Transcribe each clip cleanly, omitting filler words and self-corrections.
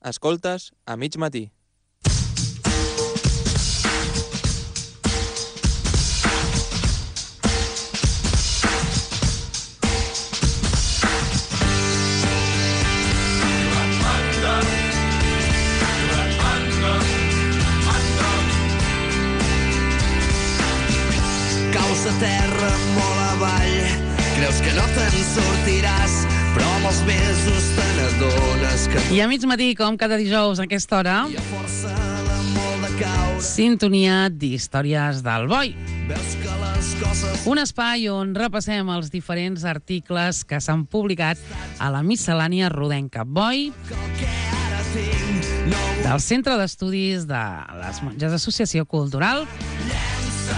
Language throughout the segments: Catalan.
Escoltes a mig matí. Caus a terra molt avall, creus que no te'n sortiràs, però amb els mesos te n'adones que... I a mig matí, com cada dijous a aquesta hora, hi ha força de molt de caure. sintonia d'Històries del Boi. Veus que les coses... Un espai on repassem els diferents articles que s'han publicat a la miscel·lània rodenca Boi, que ara tinc no del Centre d'Estudis de les Monges Associació Cultural.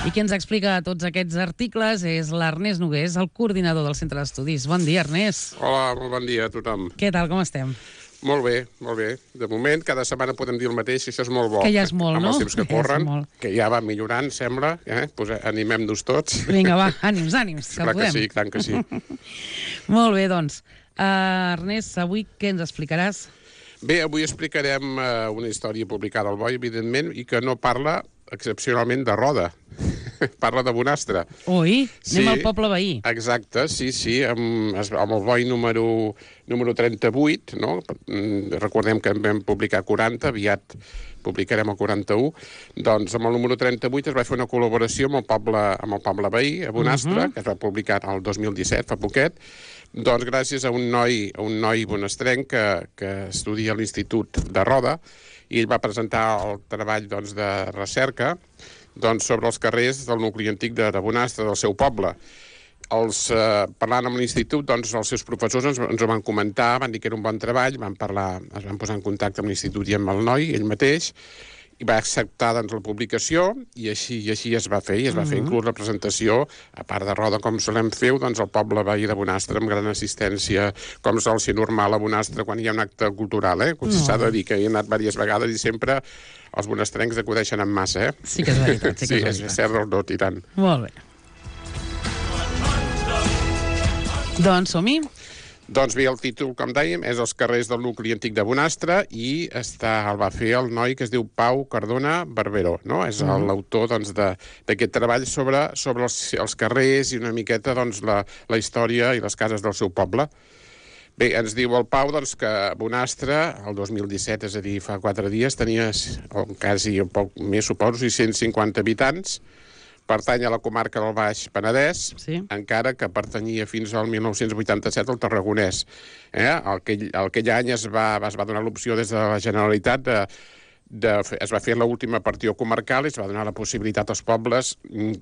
I qui ens explica tots aquests articles és l'Ernest Nogués, el coordinador del Centre d'Estudis. Bon dia, Ernest. Hola, molt bon dia a tothom. Què tal, com estem? Molt bé, molt bé. De moment, cada setmana podem dir el mateix, i això és molt bo. Que ja és molt, amb no? els temps que Ja és corren, molt. que ja va millorant, sembla. Pues animem-nos tots. Vinga, va, ànims, que Clar que podem. sí, tant que sí. Molt bé, doncs. Ernest, avui què ens explicaràs? Bé, avui explicarem una història publicada al Boi, evidentment, i que no parla excepcionalment de Roda. Parla de Bonastre. Ui, anem Sí. al poble veí. Exacte, sí, amb el Boi número 38, no? Recordem que en vam publicar 40, aviat publicarem el 41, doncs amb el número 38 es va fer una col·laboració amb el poble veí, a Bonastre, que es va publicar el 2017, fa poquet, doncs gràcies a un noi bonastrenc que estudia a l'Institut de Roda, i ell va presentar el treball doncs, de recerca sobre els carrers del nucli antic de Bonastre, del seu poble. Parlant amb l'Institut, doncs, els seus professors ens ho van comentar, van dir que era un bon treball, es van posar en contacte amb l'Institut i amb el noi, ell mateix, i va acceptar doncs, la publicació, i així es va fer, i es va fer inclús la presentació, a part de Roda, com solem fer, doncs, al poble veí de Bonastre, amb gran assistència, com sol ser normal a Bonastre quan hi ha un acte cultural, S'ha de dir que he anat diverses vegades i sempre els bonastrencs acudeixen en massa, Sí que és veritat, sí que és veritat. és cert, no, i tant. Molt bé. Doncs som-hi. Doncs bé, el títol, com dèiem, és Els carrers del nucli antic de Bonastre, i el va fer el noi que es diu Pau Cardona Barberó, no? És l'autor doncs, d'aquest treball sobre els carrers i una miqueta doncs, la història i les cases del seu poble. Bé, ens diu el Pau doncs, que Bonastre, el 2017, és a dir, fa 4 dies, tenia quasi un poc més, suposo, 650 habitants, pertany a la comarca del Baix Penedès, Sí. encara que pertanyia fins al 1987 al Tarragonès. Aquell any es va donar l'opció des de la Generalitat es va fer l'última partió comarcal i es va donar la possibilitat als pobles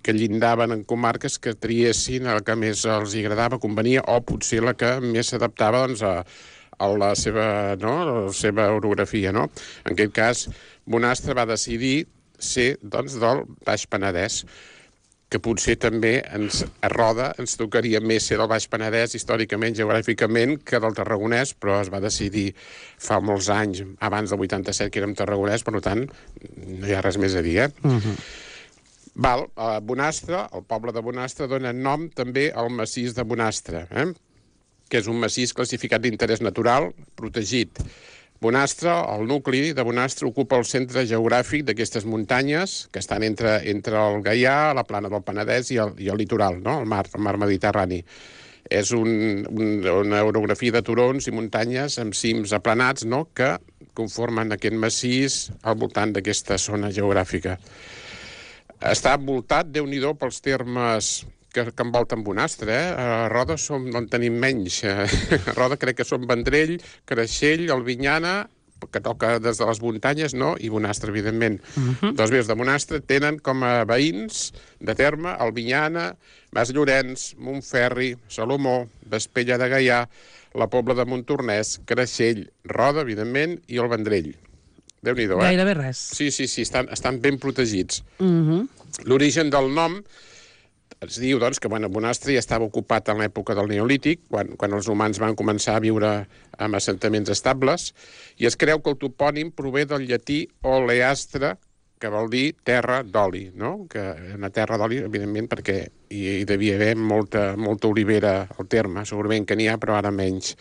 que llindaven en comarques que triessin el que més els agradava, convenia, o potser la que més s'adaptava doncs, a la seva orografia. No? En aquest cas, Bonastre va decidir ser doncs, del Baix Penedès, que potser també a Roda ens tocaria més ser del Baix Penedès històricament, geogràficament, que del Tarragonès, però es va decidir fa molts anys, abans del 87, que érem Tarragonès, per tant, no hi ha res més a dir, Bonastre, el poble de Bonastre, dona nom també al massís de Bonastre, que és un massís classificat d'interès natural, protegit. Bonastre, el nucli de Bonastre, ocupa el centre geogràfic d'aquestes muntanyes que estan entre el Gaià, la plana del Penedès i el litoral, no? el mar Mediterrani. És una orografia de turons i muntanyes amb cims aplanats, no? que conformen aquest massís al voltant d'aquesta zona geogràfica. Està envoltat, Déu-n'hi-do, pels termes que envolten Bonastre, A Roda en tenim menys. A Roda crec que són Vendrell, Creixell, Albinyana, que toca des de les muntanyes, no? I Bonastre, evidentment. Doncs bé, els de Bonastre tenen com a veïns de terme Albinyana, Mas Llorenç, Montferri, Salomó, Vespella de Gaià, la Pobla de Montornès, Creixell, Roda, evidentment, i el Vendrell. Déu-n'hi-do, Gairebé res. Sí, estan ben protegits. L'origen del nom es diu doncs, que Bonastre ja estava ocupat en l'època del Neolític, quan els humans van començar a viure en assentaments estables, i es creu que el topònim prové del llatí oleastre, que vol dir terra d'oli, no? Que una terra d'oli, evidentment, perquè hi devia haver molta olivera al terme, segurament que n'hi ha, però ara menys.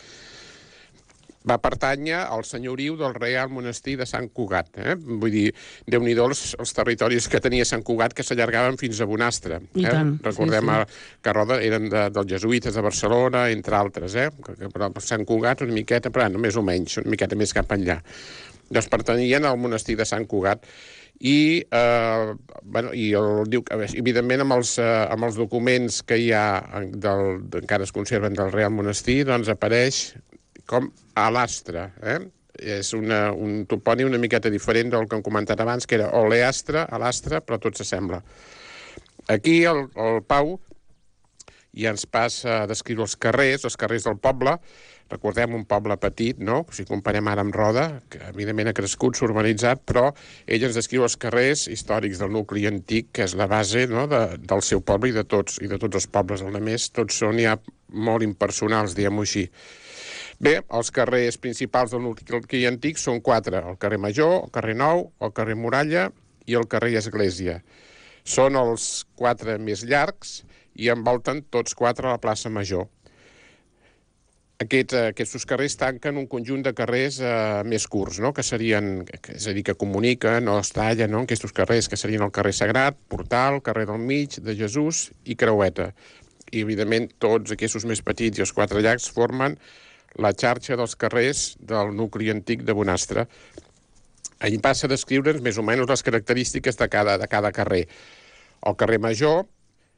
va pertànyer al senyoriu del Reial Monestir de Sant Cugat. Vull dir, Déu-n'hi-do els territoris que tenia Sant Cugat, que s'allargaven fins a Bonastre. I tant, Recordem sí. que Roda eren dels jesuïtes de Barcelona, entre altres. Però Sant Cugat una miqueta, però més o menys, una miqueta més cap enllà. Doncs pertanyien al Monestir de Sant Cugat. I evidentment amb els documents que hi ha encara es conserven del Reial Monestir, doncs apareix com Alastre. És un topònim una miqueta diferent del que hem comentat abans, que era Oleastre, Alastre, però tot s'assembla. Aquí el Pau ja ens passa a descriure els carrers del poble. Recordem un poble petit, no? Si comparem ara amb Roda, que evidentment ha crescut, s'ha urbanitzat, però ell ens descriu els carrers històrics del nucli antic, que és la base, no?, del seu poble i de tots els pobles. A més, tots són ja molt impersonals, diguem-ho així. Bé, els carrers principals del nucli antic són 4. El carrer Major, el carrer Nou, el carrer Muralla i el carrer Església. Són els 4 més llargs i envolten tots 4 a la plaça Major. Aquests carrers tanquen un conjunt de carrers més curts, no?, que serien, és a dir, que comuniquen o es tallen, no?, aquests carrers, que serien el carrer Sagrat, Portal, carrer del Mig, de Jesús i Creueta. I, evidentment, tots aquests més petits i els 4 llargs formen la xarxa dels carrers del nucli antic de Bonastre. Allí passa a descriure'ns més o menys les característiques de cada carrer. El carrer Major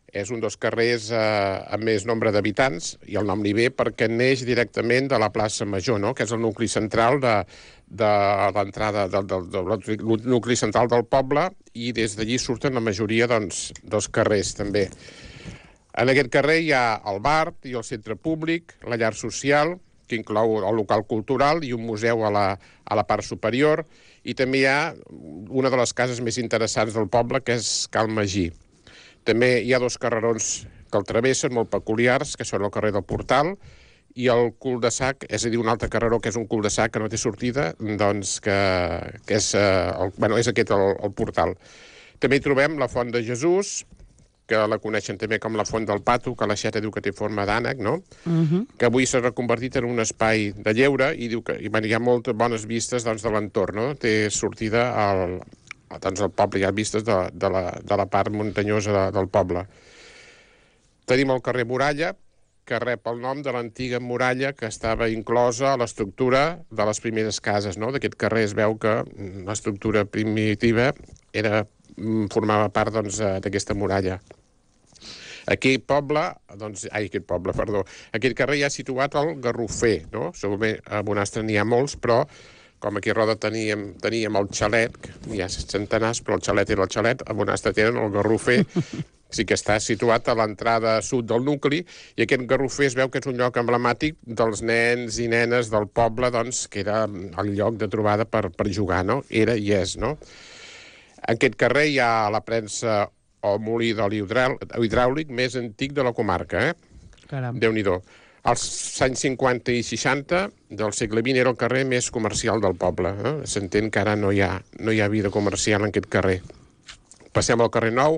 és un dels carrers amb més nombre d'habitants, i el nom li ve perquè neix directament de la plaça Major, no?, que és el nucli central de l'entrada del nucli central del poble, i des d'allí surten la majoria dels carrers, també. En aquest carrer hi ha el bar i el centre públic, la llar social, que inclou el local cultural i un museu a la part superior, i també hi ha una de les cases més interessants del poble, que és Cal Magí. També hi ha 2 carrerons que el travessen, molt peculiars, que són el carrer del Portal i el cul de sac, és a dir, un altre carreró que és un cul de sac que no té sortida, doncs que és aquest el Portal. També hi trobem la Font de Jesús, que la coneixen també com la Font del Pato, que la Xeta diu que té forma d'ànec, no? Que avui s'ha reconvertit en un espai de lleure, i diu que hi ha moltes bones vistes de l'entorn, no? Té sortida al poble, hi ha vistes de la part muntanyosa del poble. Tenim el carrer Muralla, que rep el nom de l'antiga muralla que estava inclosa a l'estructura de les primeres cases, no? D'aquest carrer es veu que l'estructura primitiva formava part d'aquesta muralla. Aquest carrer ja ha situat el Garrofer, no? Segurament a Bonastre n'hi ha molts, però com aquí a Roda teníem el xalet, hi ha centenars, però el xalet era el xalet, a Bonastre tenen el Garrofer, sí que està situat a l'entrada sud del nucli, i aquest Garrofer es veu que és un lloc emblemàtic dels nens i nenes del poble, doncs, que era el lloc de trobada per jugar, no? Era i és, no? En aquest carrer hi ha la premsa o molí d'oli hidràulic més antic de la comarca, Caram. Déu-n'hi-do. Als anys 50 i 60 del segle XX era el carrer més comercial del poble. S'entén que ara no hi ha vida comercial en aquest carrer. Passem al carrer Nou,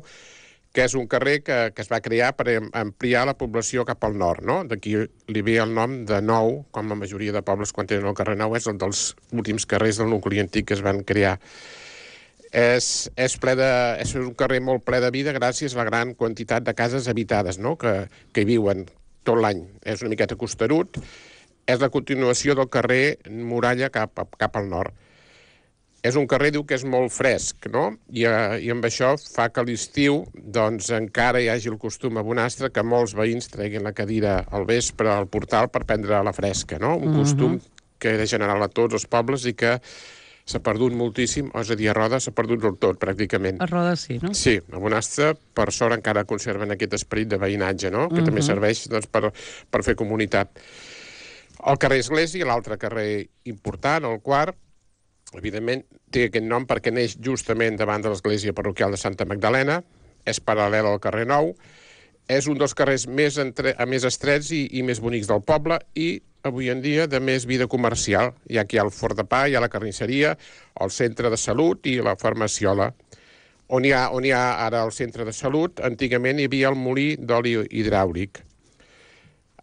que és un carrer que es va crear per ampliar la població cap al nord, no? D'aquí li ve el nom de Nou, com la majoria de pobles quan tenen el carrer Nou, és un dels últims carrers del nucli antic que es van crear. És un carrer molt ple de vida gràcies a la gran quantitat de cases habitades, no?, que hi viuen tot l'any. És una miqueta costerut. És la continuació del carrer Muralla cap al nord. És un carrer, diu, que és molt fresc, no? I amb això fa que a l'estiu doncs encara hi hagi el costum a Bonastre que molts veïns treguin la cadira al vespre al portal per prendre la fresca, no? Un costum que era general a tots els pobles i que s'ha perdut moltíssim, és a dir, a Roda s'ha perdut del tot, pràcticament. A Roda sí, no? Sí, a Bonastre, per sort, encara conserven aquest esperit de veïnatge, no?, que també serveix per fer comunitat. El carrer Església, l'altre carrer important, el quart, evidentment, té aquest nom perquè neix justament davant de l'església parroquial de Santa Magdalena, és paral·lel al carrer Nou, és un dels carrers més estrets i més bonics del poble i, avui en dia, de més vida comercial. Hi ha aquí el Fort de Pa, hi ha la carnisseria, el centre de salut i la farmaciola. On hi ha ara el centre de salut, antigament hi havia el molí d'oli hidràulic.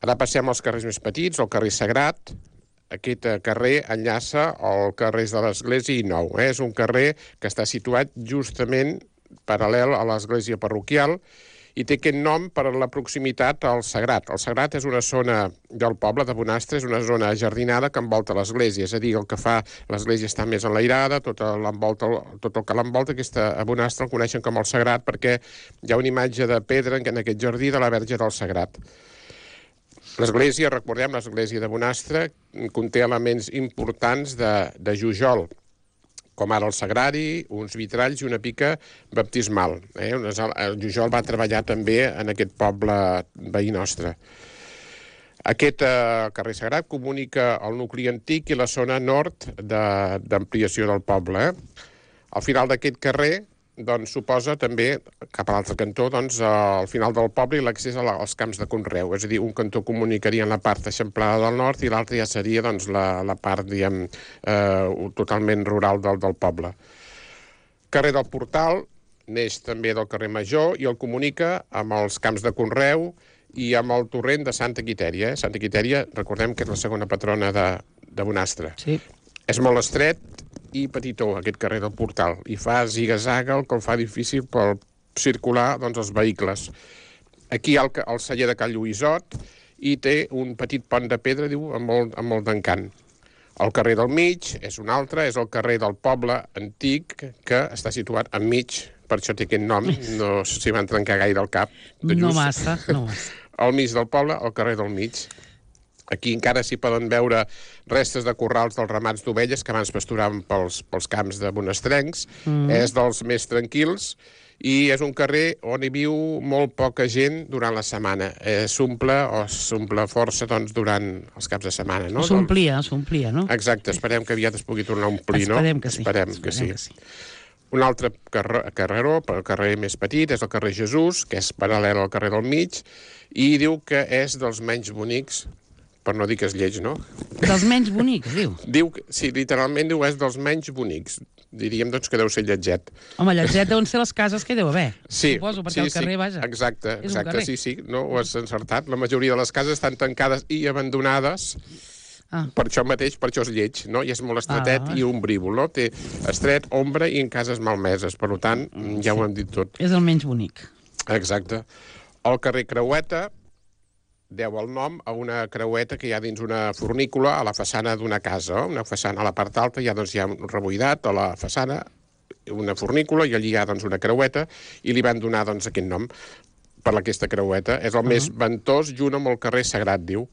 Ara passem als carrers més petits, el carrer Sagrat. aquest carrer enllaça el carrer de l'Església i Nou. És un carrer que està situat justament paral·lel a l'església parroquial i té aquest nom per la proximitat al Sagrat. El Sagrat és una zona del poble de Bonastre, és una zona jardinada que envolta l'església, és a dir, el que fa l'església està més enlairada, tot el que l'envolta, a Bonastre el coneixen com el Sagrat perquè hi ha una imatge de pedra en aquest jardí de la Verge del Sagrat. L'església, recordem, l'església de Bonastre conté elements importants de Jujol, com ara el sagrari, uns vitralls i una pica baptismal. El Jujol va treballar també en aquest poble veí nostre. Aquest carrer Sagrat comunica el nucli antic i la zona nord d'ampliació del poble. Al final d'aquest carrer suposa també, cap a l'altre cantó, al final del poble i l'accés als camps de conreu. És a dir, un cantó comunicaria en la part eixamplada del nord i l'altre ja seria la part, diguem, totalment rural del poble. Carrer del Portal neix també del carrer Major i el comunica amb els camps de conreu i amb el torrent de Santa Quitèria. Santa Quitèria, recordem que és la segona patrona de Bonastre. Sí. És molt estret i petitó, aquest carrer del Portal, i fa ziga-zaga, el que el fa difícil per circular els vehicles. Aquí hi ha el celler de Cal Lluïsot i té un petit pont de pedra, diu, amb molt d'encant. El carrer del Mig és un altre, és el carrer del poble antic que està situat enmig, per això té aquest nom, no s'hi van trencar gaire el cap. No massa. Al mig del poble, el carrer del Mig. Aquí encara s'hi poden veure restes de corrals dels ramats d'ovelles que abans pasturaven pels camps de bonastrencs. És dels més tranquils i és un carrer on hi viu molt poca gent durant la setmana. S'omple força durant els caps de setmana. No? S'omplia, no? Exacte, esperem que aviat es pugui tornar a omplir, no? Esperem que sí. Un altre carreró, el carrer més petit, és el carrer Jesús, que és paral·lel al carrer del Mig, i diu que és dels menys bonics, per no dir que és lleig, no? Dels menys bonics, diu? Sí, literalment diu és dels menys bonics. Diríem, que deu ser lletget. Home, lletget deuen ser les cases que hi deu haver. Sí, suposo, perquè el carrer, vaja. Exacte, sí, no, ho has encertat. La majoria de les cases estan tancades i abandonades. Per això mateix, per això és lleig, no? I és molt estretet i ombrívol, no? Té estret, ombra i en cases malmeses. Per tant, ja ho hem dit tot. És el menys bonic. Exacte. El carrer Creueta deu el nom a una creueta que hi ha dins una fornícula a la façana d'una casa. Una façana a la part alta, hi ha un rebuidat a la façana, una fornícula, i allí hi ha una creueta, i li van donar aquest nom per aquesta creueta. És el més ventós, junt amb el carrer Sagrat, diu.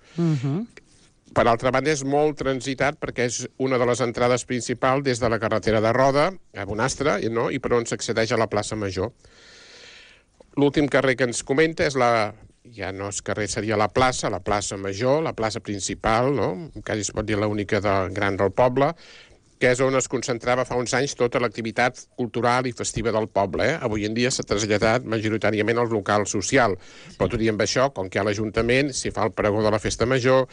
Per altra banda, és molt transitat perquè és una de les entrades principals des de la carretera de Roda, a Bonastre, no? I per on s'accedeix a la plaça Major. L'últim carrer que ens comenta és ja no és carrer, seria la plaça Major, la plaça principal, no? Quasi es pot dir l'única gran del poble, que és on es concentrava fa uns anys tota l'activitat cultural i festiva del poble. Avui en dia s'ha traslladat majoritàriament al local social, però tot i amb això, com que hi ha l'Ajuntament, s'hi fa el pregó de la Festa Major,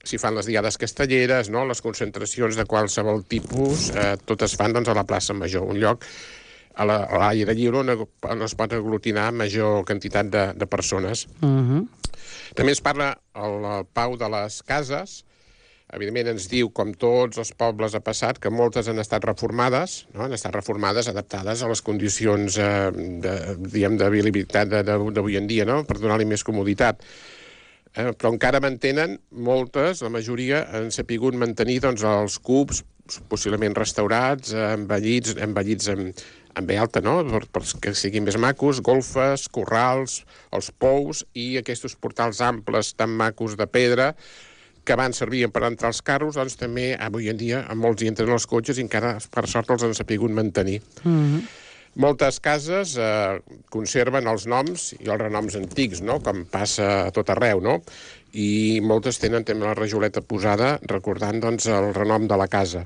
s'hi fan les diades castelleres, no? Les concentracions de qualsevol tipus, totes fan a la plaça Major, un lloc a l'aire lliure on es pot aglutinar major quantitat de persones. També es parla al Pau de les Cases. Evidentment ens diu, com tots els pobles ha passat, que moltes han estat reformades, no? Han estat reformades, adaptades a les condicions d'habilitat d'avui en dia, no? Per donar-li més comoditat. Però encara mantenen moltes, la majoria han sapigut mantenir els cubs, possiblement restaurats, embellits amb B alta, no? Perquè siguin més macos, golfes, corrals, els pous i aquests portals amples tan macos de pedra que abans servien per entrar els carros, també avui en dia molts hi entren els cotxes i encara, per sort, els han sapigut mantenir. Moltes cases conserven els noms i els renoms antics, no? Com passa a tot arreu, no? I moltes tenen també la rajoleta posada recordant el renom de la casa.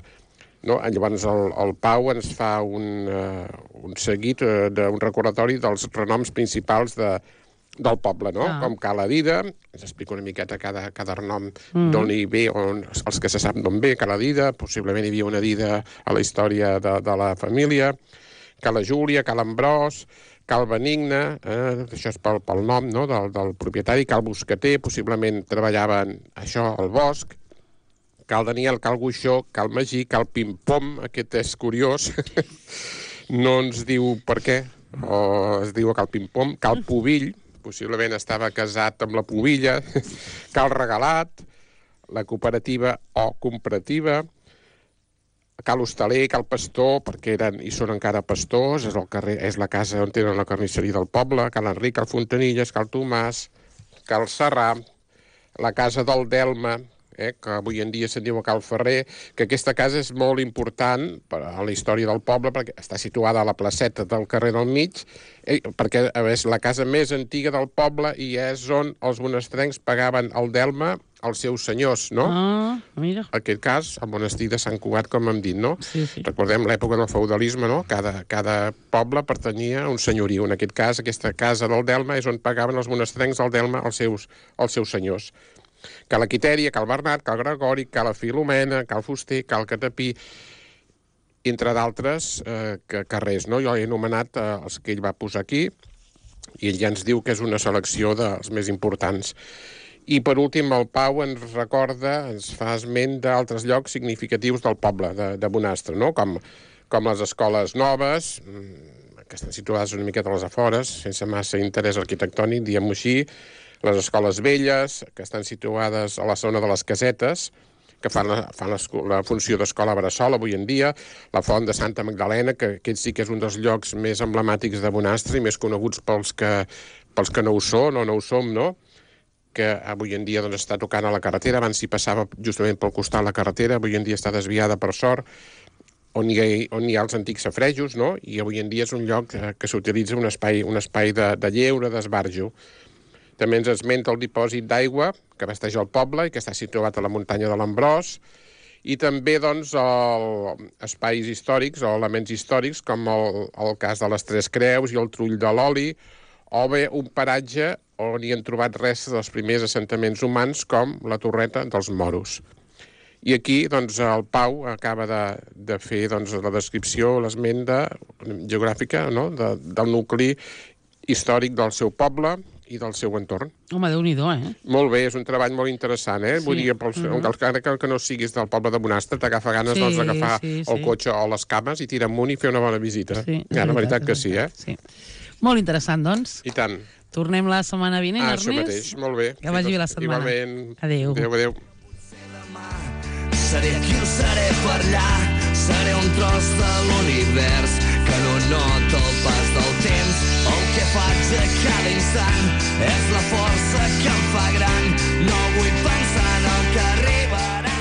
No? Llavors el Pau ens fa un seguit d'un recordatori dels renoms principals del poble, no? Com Cala Dida, ens explica una miqueta cada renom d'on hi ve, els que se sap d'on ve, Cala Dida, possiblement hi havia una Dida a la història de la família, Cala Júlia, Cal Ambròs, Cal Benigne, això és pel nom, no? del propietari, Cal Boscater, possiblement treballaven això al bosc, Cal Daniel, Cal Guixó, Cal Magí, Cal Pim-Pom, aquest és curiós, no ens diu per què, o es diu Cal Pim-Pom, Cal Pubill, possiblement estava casat amb la Pubilla, Cal Regalat, la cooperativa o comparativa, Cal Hostaler, Cal Pastor, perquè eren i són encara pastors, és la casa on tenen la carnisseria del poble, Cal Enric, Cal Fontanilles, Cal Tomàs, Cal Serrà, la casa del Delma, que avui en dia se'n diu Cal Ferrer, que aquesta casa és molt important a la història del poble, perquè està situada a la placeta del carrer del mig, perquè és la casa més antiga del poble i és on els monestrencs pagaven el Delma als seus senyors, no? Ah, mira. En aquest cas, el monestir de Sant Cugat, com hem dit, no? Sí, sí. Recordem l'època del feudalisme, no? Cada poble pertanyia a un senyoriu. En aquest cas, aquesta casa del Delma és on pagaven els monestrencs el Delma als seus senyors. Cal la Quitèria, Cal Bernat, Cal Gregori, Cal la Filomena, Cal Fuster, Cal Catapí, entre d'altres carrers, no? Jo he anomenat els que ell va posar aquí i ell ja ens diu que és una selecció dels més importants. I per últim, el Pau ens recorda, ens fa esment d'altres llocs significatius del poble de Bonastre, no? Com les escoles noves, que estan situades una miqueta a les afores, sense massa interès arquitectònic, diguem-ho així, les escoles velles, que estan situades a la zona de les casetes, que fan la funció d'escola bressol avui en dia, la Font de Santa Magdalena, que aquest sí que és un dels llocs més emblemàtics de Bonastre i més coneguts pels que no ho són o no ho som, no? Que avui en dia doncs, està tocant a la carretera, abans s'hi passava justament pel costat de la carretera, avui en dia està desviada per sort, on hi ha els antics safrejos, no? I avui en dia és un lloc que s'utilitza un espai de lleure, d'esbarjo. També ens esmenta el dipòsit d'aigua que abasteix el poble i que està situat a la muntanya de l'Ambròs, i també doncs, espais històrics o elements històrics com el cas de les Tres Creus i el Trull de l'Oli, o bé un paratge on hi han trobat restes dels primers assentaments humans com la Torreta dels Moros. I aquí doncs, el Pau acaba de fer doncs, la descripció, l'esment geogràfica, no? Del nucli històric del seu poble i del seu entorn. Home, Déu-n'hi-do, Molt bé, és un treball molt interessant, Sí. Vull dir, encara que no siguis del poble de Bonastre, t'agafa ganes d'agafar el cotxe o les cames i tirar amunt i fer una bona visita. Sí, la veritat que sí, Sí. Molt interessant, doncs. I tant. Tornem la setmana vinent, Ernest. Això mateix, molt bé. Que vagi bé la setmana. Igualment. Adéu. Adéu. Seré qui ho seré per allà, seré un tros de l'univers que no nota el pas del temps. El que faig a cada instant és la força que em fa gran. No vull pensar en el que arribarà.